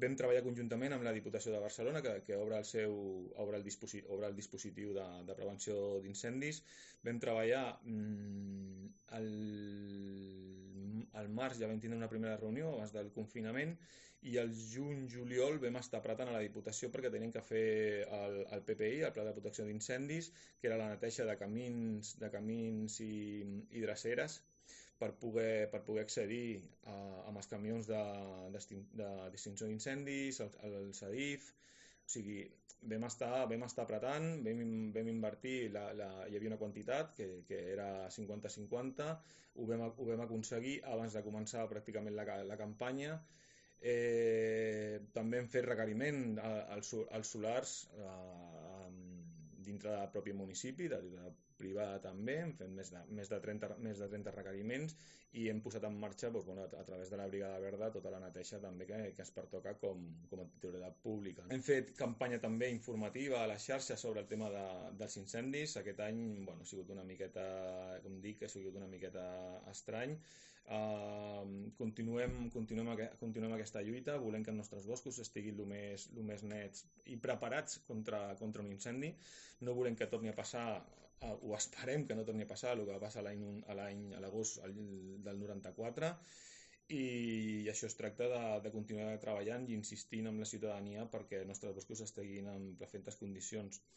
Vam treballar conjuntament amb la Diputació de Barcelona, que obre el dispositiu de prevenció d'incendis. Vam treballar al març, ja vam tindre una primera reunió abans del confinament, i al juny-juliol vam estar apretant a la Diputació perquè tenien que fer el PPI, el Pla de Protecció d'Incendis, que era la neteja de camins i dreceres, per poder accedir amb els camions d'extinció d'incendis, el SADIF. O sigui, vam estar apretant, vam invertir, hi havia una quantitat que era 50-50, ho vam aconseguir abans de començar pràcticament la campanya. També hem fet requeriment als solars dintre del propi municipi, de privada també, hem fet més de 30 requeriments i hem posat en marxa a través de la Brigada Verda tota la neteja també que es pertoca com a titularitat pública. Hem fet campanya també informativa a les xarxes sobre el tema dels incendis. Aquest any ha sigut una miqueta, com dic, ha sigut una miqueta estrany. Continuem aquesta lluita, volem que els nostres boscos estiguin el més nets i preparats contra un incendi. No volem que torni a passar, o esperem que no torni a passar, el que va passar a l'agost del 94, i això es tracta de continuar treballant i insistint amb la ciutadania perquè els nostres boscos estiguin en perfectes condicions.